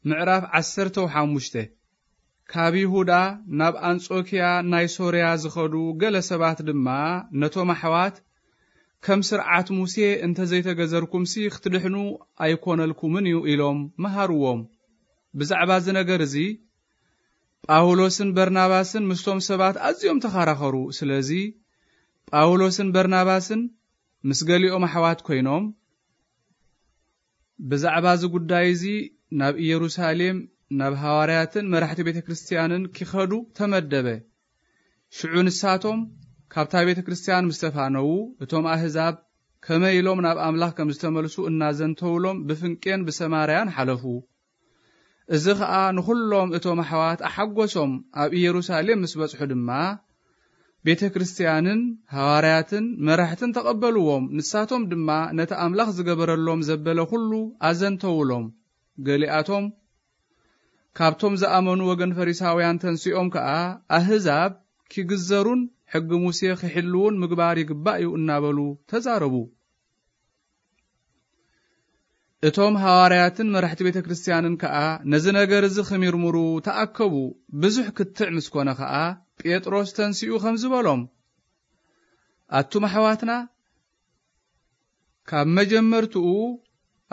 ምዕራፍ ዓሰርተ ሓሙሽተ። ካብ ይሁዳ ናብ ኣንጾኪያ ናይ ሶርያ ዝኸዱ ገለ ሰባት ድማ ነቶም ኣሕዋት፣ "ከም ስርዓት ሙሴ እንተ ዘይተገዘርኩምሲ ክትድሕኑ ኣይኮነልኩምን እዩ" ኢሎም መሃርዎም። ብዛዕባ እዚ ነገር እዚ ጳውሎስን በርናባስን ምስቶም ሰባት ኣዝዮም ተኸራኸሩ። ስለዚ ጳውሎስን በርናባስን ምስ ገሊኦም ኣሕዋት ኮይኖም፣ ብዛዕባ እዚ ጉዳይ እዚ ናብ ኢየሩሳሌም ናብ ሃዋርያትን መራሕቲ ቤተ ክርስቲያንን ኪኸዱ ተመደበ። ሽዑ ንሳቶም ካብታ ቤተ ክርስቲያን ምስ ተፋነዉ፣ እቶም ኣህዛብ ከመይ ኢሎም ናብ ኣምላኽ ከም ዝተመልሱ እናዘንተውሎም ብፍንቄን ብሰማርያን ሓለፉ። እዚ ኸኣ ንኹሎም እቶም ኣሕዋት ኣሓጎሶም። ኣብ ኢየሩሳሌም ምስ በጽሑ ድማ ቤተ ክርስቲያንን ሃዋርያትን መራሕትን ተቐበልዎም። ንሳቶም ድማ ነቲ ኣምላኽ ዝገበረሎም ዘበለ ኩሉ ኣዘንተውሎም። ገሊኣቶም ካብቶም ዝኣመኑ ወገን ፈሪሳውያን ተንሲኦም ከኣ፣ ኣህዛብ ኪግዘሩን ሕጊ ሙሴ ኺሕልዉን ምግባር ይግባእ እዩ እናበሉ ተዛረቡ። እቶም ሃዋርያትን መራሕቲ ቤተ ክርስቲያንን ከኣ ነዚ ነገር እዚ ኺምርምሩ ተኣከቡ። ብዙሕ ክትዕ ምስ ኮነ ኸኣ፣ ጴጥሮስ ተንሲኡ ኸምዚ በሎም፣ ኣቱም ኣሕዋትና፣ ካብ መጀመርትኡ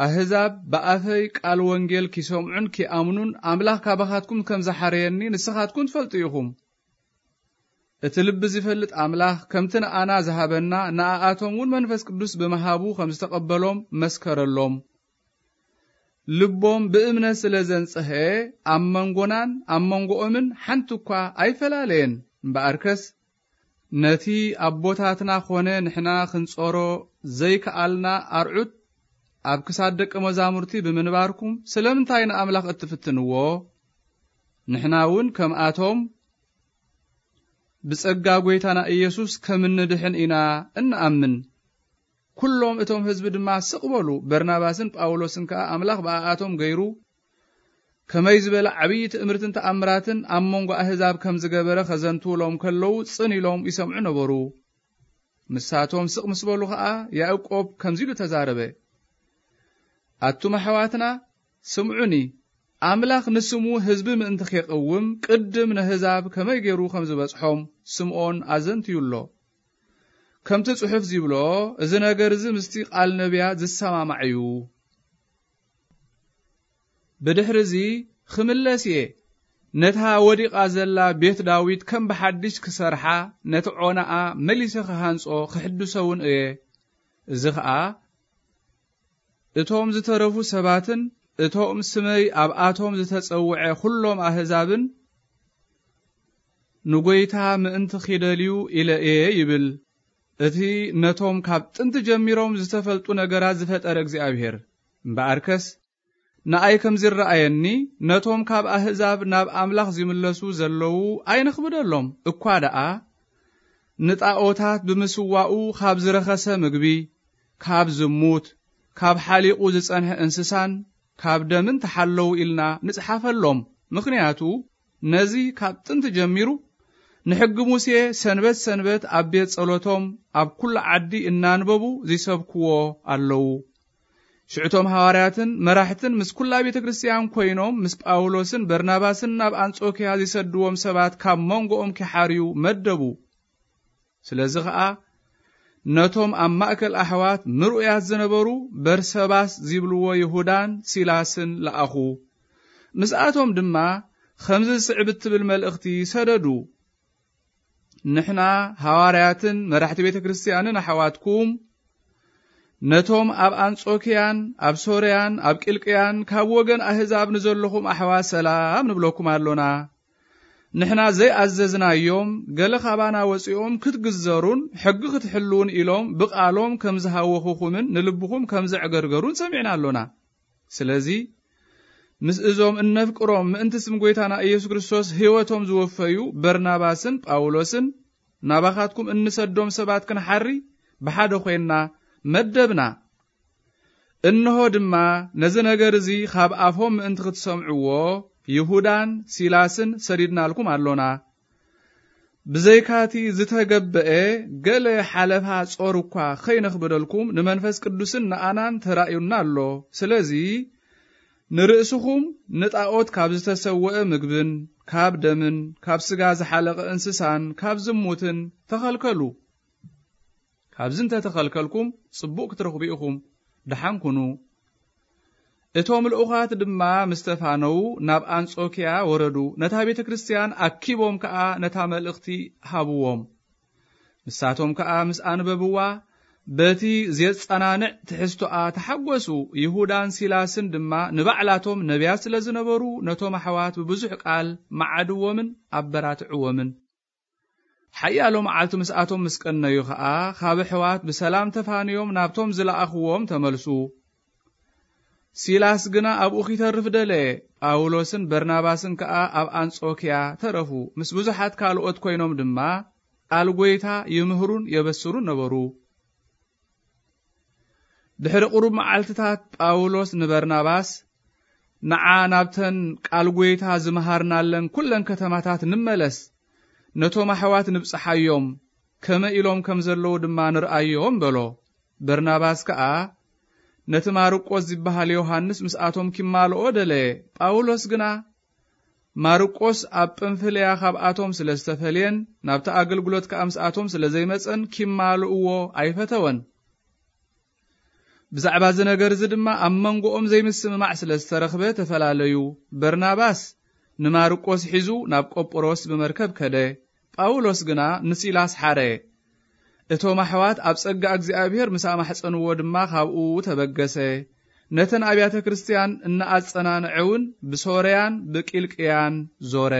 ኣህዛብ ብኣፈይ ቃል ወንጌል ኪሰምዑን ኪኣምኑን ኣምላኽ ካባኻትኩም ከም ዝሓረየኒ ንስኻትኩም ትፈልጡ ኢኹም። እቲ ልቢ ዚፈልጥ ኣምላኽ ከምቲ ንኣና ዝሃበና፣ ንኣኣቶም እውን መንፈስ ቅዱስ ብምሃቡ ከም ዝተቐበሎም መስከረሎም። ልቦም ብእምነት ስለ ዘንጽሀ፣ ኣብ መንጎናን ኣብ መንጎኦምን ሓንቲ እኳ ኣይፈላለየን። እምበኣርከስ፣ ነቲ ኣቦታትና ኾነ ንሕና ክንጾሮ ዘይከኣልና ኣርዑት ኣብ ክሳድ ደቀ መዛሙርቲ ብምንባርኩም፣ ስለምንታይ ንኣምላኽ እትፍትንዎ? ንሕና እውን ከምኣቶም ብጸጋ ጐይታና ኢየሱስ ከም እንድሕን ኢና እንኣምን። ኩሎም እቶም ህዝቢ ድማ ስቕ በሉ። በርናባስን ጳውሎስን ከኣ ኣምላኽ ብኣኣቶም ገይሩ ከመይ ዝበለ ዓብዪ ትእምርትን ተኣምራትን ኣብ መንጎ ኣህዛብ ከም ዝገበረ ኸዘንትውሎም ከለዉ ጽን ኢሎም ይሰምዑ ነበሩ። ንሳቶም ስቕ ምስ በሉ ኸኣ ያዕቆብ ከምዚ ኢሉ ተዛረበ፣ ኣቱም ኣሕዋትና ስምዑኒ፣ ኣምላኽ ንስሙ ህዝቢ ምእንቲ ኼቐውም ቅድም ነህዛብ ከመይ ገይሩ ከም ዝበጽሖም ስምዖን ኣዘንትዩ ኣሎ። ከምቲ ጽሑፍ ዚብሎ፣ እዚ ነገር እዚ ምስቲ ቃል ነቢያት ዝሰማማዕ እዩ። ብድሕሪ እዚ ኽምለስ እየ፣ ነታ ወዲቓ ዘላ ቤት ዳዊት ከም ብሓድሽ ክሰርሓ፣ ነቲ ዖናኣ መሊሰ ክሃንጾ ክሕድሶ እውን እየ። እዚ ኸኣ እቶም ዝተረፉ ሰባትን እቶም ስመይ ኣብኣቶም ዝተጸውዐ ኹሎም ኣህዛብን ንጐይታ ምእንቲ ኺደልዩ ኢለ እየ ይብል። እቲ ነቶም ካብ ጥንቲ ጀሚሮም ዝተፈልጡ ነገራት ዝፈጠረ እግዚኣብሔር። እምበኣርከስ ንኣይ ከም ዚረኣየኒ፣ ነቶም ካብ ኣህዛብ ናብ ኣምላኽ ዚምለሱ ዘለዉ ኣይነኽብደሎም። እኳ ደኣ ንጣኦታት ብምስዋኡ ኻብ ዝረኸሰ ምግቢ፣ ካብ ዝሙት፣ ካብ ሓሊቑ ዝጸንሐ እንስሳን ካብ ደምን ተሓለዉ ኢልና ንጽሓፈሎም። ምኽንያቱ ነዚ ካብ ጥንቲ ጀሚሩ ንሕጊ ሙሴ ሰንበት ሰንበት ኣብ ቤት ጸሎቶም ኣብ ኩሉ ዓዲ እናንበቡ ዚሰብክዎ ኣለዉ። ሽዕቶም ሃዋርያትን መራሕትን ምስ ኩላ ቤተ ክርስቲያን ኮይኖም ምስ ጳውሎስን በርናባስን ናብ ኣንጾክያ ዚሰድዎም ሰባት ካብ መንጎኦም ኪሓርዩ መደቡ። ስለዚ ኸኣ ነቶም ኣብ ማእከል ኣሕዋት ምርኡያት ዝነበሩ በርሰባስ ዚብልዎ ይሁዳን ሲላስን ለኣኹ። ምስኣቶም ድማ ኸምዚ ዝስዕብ እትብል መልእኽቲ ሰደዱ። ንሕና ሃዋርያትን መራሕቲ ቤተ ክርስቲያንን ኣሕዋትኩም፣ ነቶም ኣብ ኣንጾክያን ኣብ ሶርያን ኣብ ቂልቅያን ካብ ወገን ኣህዛብ ንዘለኹም ኣሕዋት ሰላም ንብለኩም ኣሎና። ንሕና ዘይኣዘዝናዮም ገለ ካባና ወጺኦም ክትግዘሩን ሕጊ ክትሕልዉን ኢሎም ብቓሎም ከም ዝሃወኹኹምን ንልብኹም ከም ዘዕገርገሩን ሰሚዕና ኣሎና። ስለዚ ምስ እዞም እነፍቅሮም ምእንቲ ስም ጐይታና ኢየሱስ ክርስቶስ ህይወቶም ዝወፈዩ በርናባስን ጳውሎስን ናባኻትኩም እንሰዶም ሰባት ክንሓሪ ብሓደ ኾይንና መደብና። እንሆ ድማ ነዚ ነገር እዚ ኻብ ኣፎም ምእንቲ ክትሰምዕዎ ይሁዳን ሲላስን ሰዲድናልኩም ኣሎና። ብዘይካቲ ዝተገበአ ገለ ሓለፋ ጾር እኳ ኸይነኽብደልኩም ንመንፈስ ቅዱስን ንኣናን ተራእዩና ኣሎ። ስለዚ ንርእስኹም ንጣዖት ካብ ዝተሰወአ ምግብን ካብ ደምን ካብ ስጋ ዝሓለቐ እንስሳን ካብ ዝሙትን ተኸልከሉ። ካብዚ እንተተኸልከልኩም ጽቡቕ ክትረኽቡ ኢኹም። ደሓን ኩኑ። እቶም ልኡኻት ድማ ምስ ተፋነዉ ናብ ኣንጾኪያ ወረዱ። ነታ ቤተ ክርስቲያን ኣኪቦም ከኣ ነታ መልእኽቲ ሃብዎም። ንሳቶም ከኣ ምስ ኣንበብዋ በቲ ዜጸናንዕ ትሕዝቶኣ ተሓጎሱ። ይሁዳን ሲላስን ድማ ንባዕላቶም ነቢያት ስለ ዝነበሩ ነቶም ኣሕዋት ብብዙሕ ቃል መዓድዎምን ኣበራትዕዎምን። ሓያሎ መዓልቲ ምስኣቶም ምስ ቀነዩ ኸኣ ካብ ኣሕዋት ብሰላም ተፋንዮም ናብቶም ዝለኣኽዎም ተመልሱ። ሲላስ ግና ኣብኡ ኺተርፍ ደለየ። ጳውሎስን በርናባስን ከኣ ኣብ ኣንጾኪያ ተረፉ። ምስ ብዙሓት ካልኦት ኮይኖም ድማ ቃል ጐይታ ይምህሩን የበስሩን ነበሩ። ድሕሪ ቁሩብ መዓልትታት ጳውሎስ ንበርናባስ፣ ንዓ ናብተን ቃል ጐይታ ዝመሃርናለን ኩለን ከተማታት ንመለስ፣ ነቶም ኣሕዋት ንብጽሓዮም፣ ከመ ኢሎም ከም ዘለዉ ድማ ንርኣዮም በሎ። በርናባስ ከኣ ነቲ ማርቆስ ዝበሃል ዮሃንስ ምስኣቶም ኪማልኦ ደለየ። ጳውሎስ ግና ማርቆስ ኣብ ጵንፍልያ ካብኣቶም ስለ ዝተፈልየን ናብቲ ኣገልግሎት ከኣ ምስኣቶም ስለ ዘይመጸን ኪማልእዎ ኣይፈተወን። ብዛዕባ እዚ ነገር እዚ ድማ ኣብ መንጎኦም ዘይምስምማዕ ስለ ዝተረኽበ ተፈላለዩ። በርናባስ ንማርቆስ ሒዙ ናብ ቆጵሮስ ብመርከብ ከደ። ጳውሎስ ግና ንሲላስ ሓረ። እቶም ኣሕዋት ኣብ ጸጋ እግዚኣብሔር ምስ ኣማሕጸንዎ ድማ ካብኡ ተበገሰ። ነተን ኣብያተ ክርስቲያን እናኣጸናንዐ እውን ብሶርያን ብቂልቅያን ዞረ።